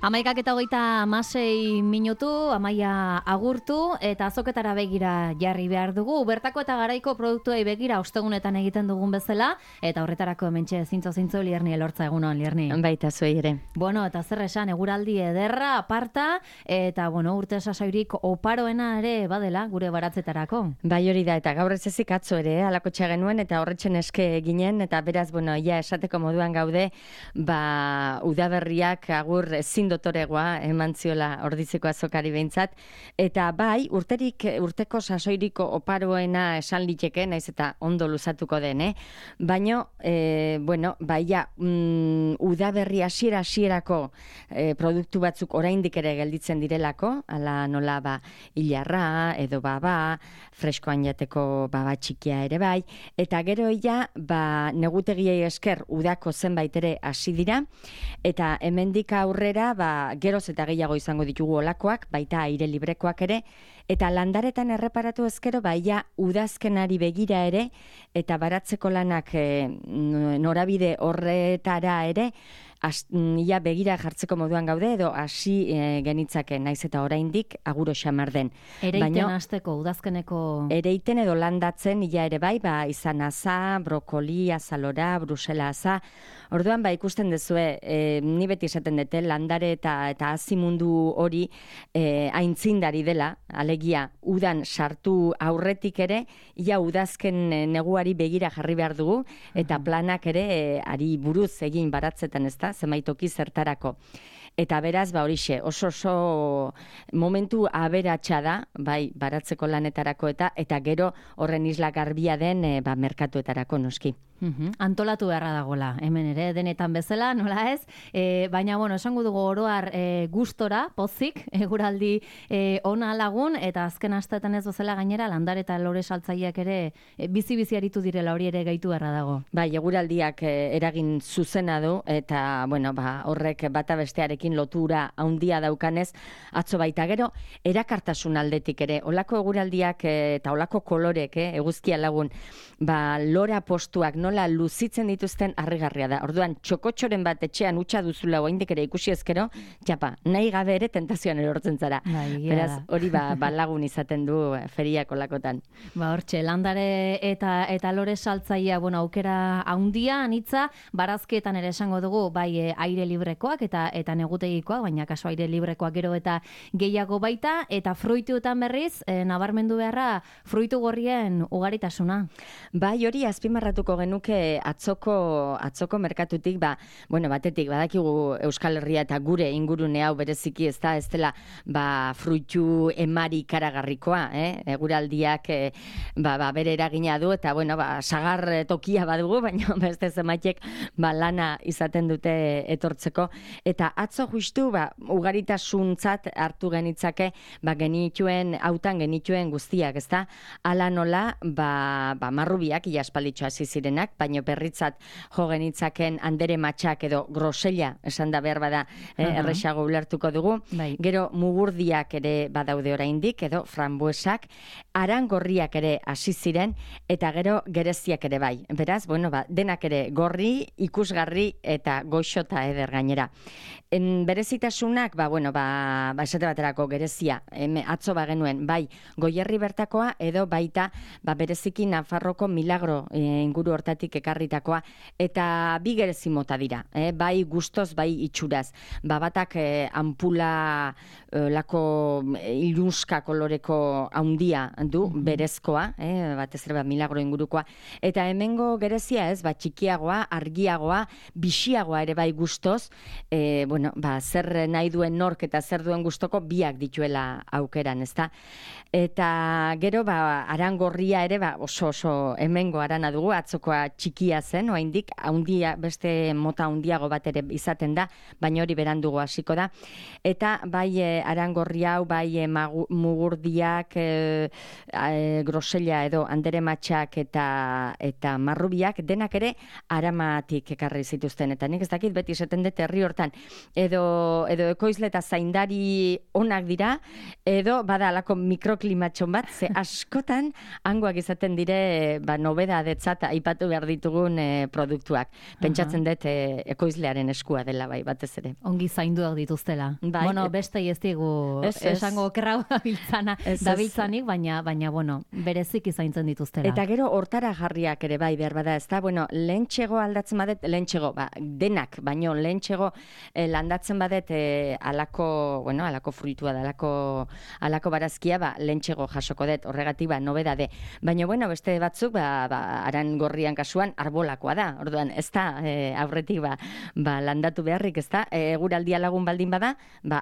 11:26 Amaia agurtu eta azoketara begira jarri behar dugu. Bertako eta garaiko produktuei begira ostegunetan egiten dugun bezala, eta horretarako hementxe zintzo Lierni elortza. Egunon, Lierni. Baita zuei ere. Bueno, eta zer esan, eguraldi ederra, aparta, eta urte sasoirik oparoena ere badela gure baratzetarako. Bai, hori da, eta gaur ez ezik atzo ere, alakotxa genuen, eta horretxen eske ginen, eta beraz, ja esateko moduan gaude, udaberriak agur ezin dotoregoa eman ziola Ordiziako azokari behintzat, eta bai, urteko sasoiriko oparoena esan liteke, naiz eta ondo luzatuko den, baina, udaberri hasierako produktu batzuk oraindik ere gelditzen direlako, ala nola hilarra, edo baba, freskoan jateko baba txikia ere bai, eta gero negutegiei esker udako zenbait ere hasi dira, eta hemendik aurrera, geroz eta gehiago izango ditugu olakoak, baita aire librekoak ere, eta landaretan erreparatu ezkero, udazkenari begira ere, eta baratzeko lanak norabide horretara ere, begira jartzeko moduan gaude, edo hasi genitzake, naiz eta oraindik aguro xamar den. Ereiten hasteko, udazkeneko... Ereiten edo landatzen, ere bai, izan aza, brokoli, azalora, brusela aza. Orduan, ikusten dezue, ni beti esaten dute, landare eta hazi mundu hori aintzindari dela, alegia, udan sartu aurretik ere, udazken neguari begira jarri behar dugu, eta planak ere, ari buruz egin baratzetan ez da, zemaitoki zertarako. Eta beraz, horixe, oso momentu aberatsa da, baratzeko lanetarako eta gero horren isla garbia den merkatuetarako noski. Antolatu beharra dagoela, hemen ere, denetan bezala, nola ez? Baina, esango dugu oroar gustora, pozik, eguraldi ona lagun, eta azken asteetan ez bezala gainera, landare eta lore saltzaileak ere bizi-bizi aritu direla, hori ere gaitu beharra dago. Bai, eguraldiak eragin zuzena du, eta, horrek bata bestearekin lotura handia daukanez, atzo baita gero, erakartasun aldetik ere, olako eguraldiak eta olako kolorek, eguzkia lagun, lora postuak nola luzitzen dituzten harrigarria da. Orduan, txokotxoren bat etxean utxa duzula oraindik ere ikusi ezkero, nahi gabe ere tentazioan erortzen zara. Beraz, hori lagun izaten du feriako lakotan. Hortxe, landare eta lore saltzaia, aukera handia, anitza, barazkietan ere esango dugu, aire librekoak eta negutegikoak, baina kaso aire librekoak gero eta gehiago baita, eta fruituetan berriz, nabarmendu beharra, fruitu gorrien ugaritasuna. Bai, hori azpimarratuko genuke atzoko merkatutik, batetik, badakigu Euskal Herria eta gure ingurune hau bereziki ez dela fruitu emari karagarrikoa, eguraldiak bere eragina du, eta sagar tokia badugu, baina beste zemaitek lana izaten dute etortzeko, eta atzo justu ugaritasuntzat hartu genitzake hautan genituen guztiak, ezta? Ala nola, marrubiak, iaspalditxo hasi zirenak, baino berritzat jo genitzaken andere matxak edo grosella, esan da behar bada, erresago ulertuko dugu. Gero mugurdiak ere badaude oraindik, edo frambuesak, arangorriak ere hasi ziren, eta gero gereziak ere bai. Beraz, denak ere gorri, ikusgarri eta goxota eder gainera. Berezitasunak, esate baterako gerezia, atzo genuen, Goierri bertakoa, edo baita, bereziki Nafarroko Milagro inguru hortatik ekarritakoa, eta bi gerezi mota dira, bai gustoz, bai itxuraz. Batak ampula lako ilunska koloreko haundia du, berezkoa, batez ere Milagro ingurukoa, eta hemengo gerezia ez, txikiagoa, argiagoa, bixiagoa ere bai gustoz, zer nahi duen nork eta zer duen gustoko biak dituela aukeran, ezta? Eta gero, arangorria ere, oso hemengo arana dugu, atzokoa txikia zen, oraindik haundia, beste mota haundiago bat ere izaten da, baina hori berandugo hasiko da. Eta arangorria hau, mugurdiak, grosella edo andere matxak eta marrubiak, denak ere aramatik ekarri zituzten. Eta nik ez dakit beti esaten dut herri hortan, edo ekoizle eta zaindari onak dira, edo bada alako mikroklimatxon bat, ze askotan hangoak izaten dire nobeda detzat aipatu behar ditugun produktuak. Pentsatzen dut ekoizlearen eskua dela bai, batez ere. Ongi zainduak dituztela. Bai, bueno, beste ez digu esango okerra dabiltzanik, baina bueno, bereziki zaintzen dituztela. Eta gero hortara jarriak ere bai, behar bada, ez da, bueno, lehentxego aldatzen badet, lehentxego, denak, baino lehentxego landatzen badet alako fruitua da, alako barazkia, lehentxego jasoko dut, horregatik, nobedade. Baina, bueno, beste batzuk, aran gorrian kasuan, arbolakoa da, orduan, ez da, aurretik, landatu beharrik, ez da, eguraldia lagun baldin bada,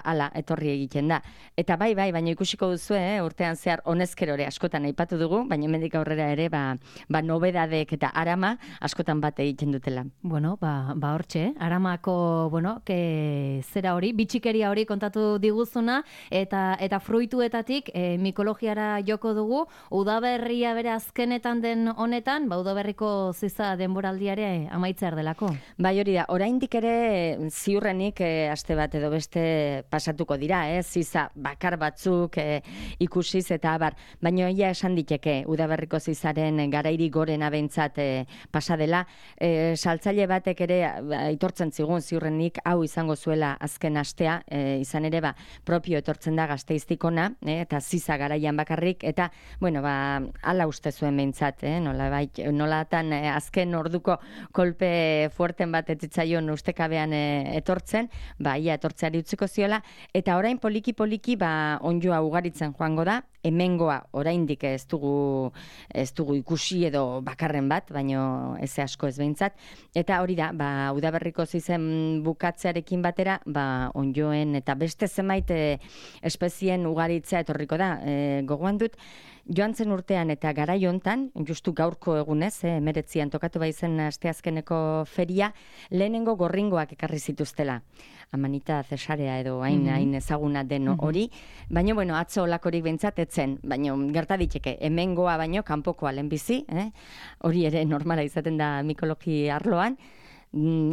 ala, etorri egiten da. Eta bai, baina ikusiko duzu, urtean zehar, honezkerore askotan aipatu dugu, baina hemendik aurrera ere, nobedadek eta arama askotan bat egiten dutela. Bueno, hortxe, aramako, zera hori, bitxikeria hori kontatu diguzuna, eta fruituetatik mikologiara joko dugu, udaberria bere azkenetan den honetan, udaberriko ziza denboraldiare amaitzear delako. Bai, hori da, oraindik ere ziurrenik aste bat edo beste pasatuko dira, ziza bakar batzuk ikusiz eta abar, baina ia esan diteke udaberriko zizaren garairi gorena behintzat pasa dela. Saltzaile batek ere aitortzen zigun ziurrenik hau izango zuela azken astea, izan ere propio etortzen da Gasteiztikona, eta ziza garaian bakarrik, eta, bueno, ala uste zuen behintzat, nolatan azken orduko kolpe fuerten bat etzitzaion ustekabean etortzen, ia etortzeari utziko ziola, eta orain poliki-poliki onjoa ugaritzen joango da, hemengoa oraindik ez dugu ikusi edo bakarren bat, baino ez asko ez behintzat, eta hori da, udaberriko zizen bukatzearekin batera, onjoen eta beste zenbait espezien ugaritzea etorriko da. Gogoan dut, joan zen urtean eta garai hontan, justu gaurko egunez, 19an tokatu baizen asteazkeneko feria, lehenengo gorringoak ekarri zituztela. Amanita Cesarea edo hain ezaguna den hori, baina, bueno, atzo olakorik behintzat etzen, baina gerta diteke, hemengoa baino kanpokoa lehenbizi, hori ere normala izaten da mikologi arloan,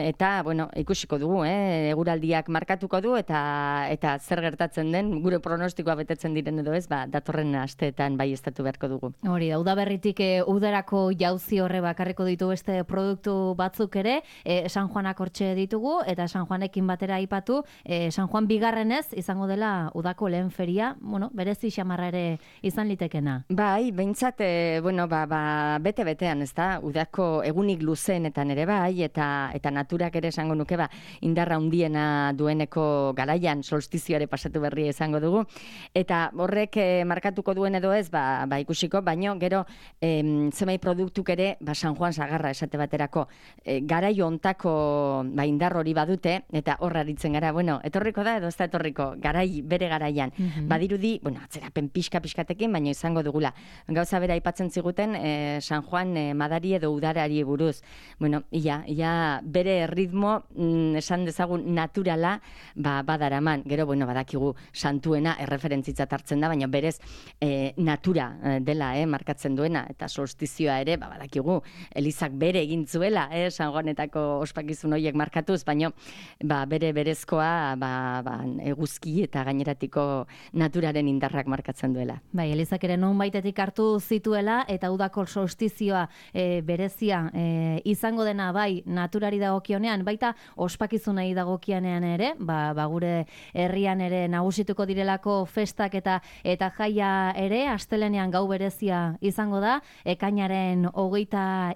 eta, bueno, ikusiko dugu, eguraldiak markatuko du, eta zer gertatzen den, gure pronostikoa betetzen diren edo ez, datorren asteetan bai estatu beharko dugu. Hori da, udaberritik udarako jauzi horre bakarriko ditu beste produktu batzuk ere, San Juanak hortxe ditugu, eta San Juanekin batera aipatu, San Juan bigarrenez izango dela udako lehen feria, bueno, berezi xamarra ere izan litekena. Bai, behintzat, bueno, bete-betean, ez da, udako egunik luzeenetan ere bai, eta naturak ere esango nuke indarra handiena dueneko garaian solstizioare pasatu berria izango dugu, eta horrek markatuko duen edo ez, ikusiko, baino gero zemai produktuk ere San Juan sagarra esate baterako garai hontako indar hori badute, eta horra aritzen gara, bueno, etorriko da edo ez da etorriko, bere garaian. Badirudi, bueno, atzerapen pixka-pixkatekin, baino izango dugula. Gauza bera aipatzen ziguten San Juan madari edo udarari buruz. Bueno, ia bere ritmo, esan dezagun naturala, badaraman. Gero, bueno, badakigu santuena erreferentzitzat hartzen da, baina berez natura dela, markatzen duena, eta solstizioa ere, badakigu, Elizak bere egin zuela, San Juanetako ospakizun horiek markatuz, baina bere berezkoa eguzki eta gaineratiko naturaren indarrak markatzen duela. Bai, Elizak ere non baitetik hartu zituela, eta udako solstizioa berezia izango dena bai naturari dagokionean, baita ospakizunei dagokianean ere, gure herrian ere nagusituko direlako festak eta jaia ere, astelenean gau berezia izango da, ekainaren 23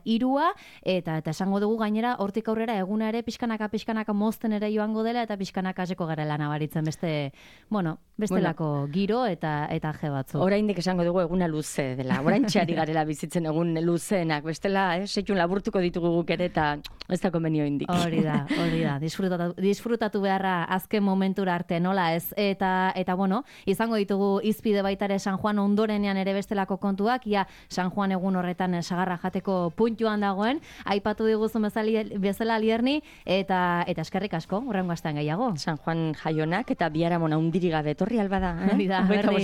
eta esango dugu gainera, hortik aurrera eguna ere pixkanaka mozten ere joango dela, eta pixkanaka hasiko garela nabaritzen bestelako giro eta je batzu. Oraindik esango dugu eguna luze dela, oraintxeari garela bizitzen egun luzeenak, bestela, seitun laburtuko ditugu guk ere, eta ez da konbenio indik. Hori da, disfrutatu beharra azken momentura arte, nola ez? Eta bueno, izango ditugu izpide baitare San Juan ondorenean ere bestelako kontuak, ia San Juan egun horretan sagarra jateko puntuan dagoen, aipatu diguzun bezala Lierni, eta eskerrik asko, hurrengo astean gehiago. San Juan jaionak eta biharamon handiri gabe etorri alba da, Hori da, berdin.